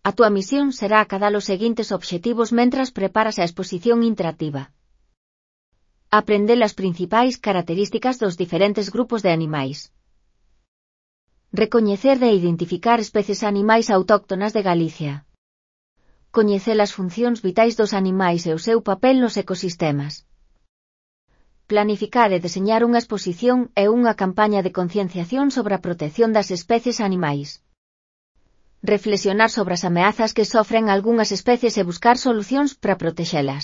A túa misión será acadar os seguintes obxectivos mentras preparas a exposición interactiva. Aprender as principais características dos diferentes grupos de animais. Recoñecer e identificar especies animais autóctonas de Galicia. Coñecer as funcións vitais dos animais e o seu papel nos ecosistemas. Planificar e deseñar unha exposición e unha campaña de concienciación sobre a protección das especies animais. Reflexionar sobre as ameazas que sofren algunhas especies e buscar solucións para protexelas.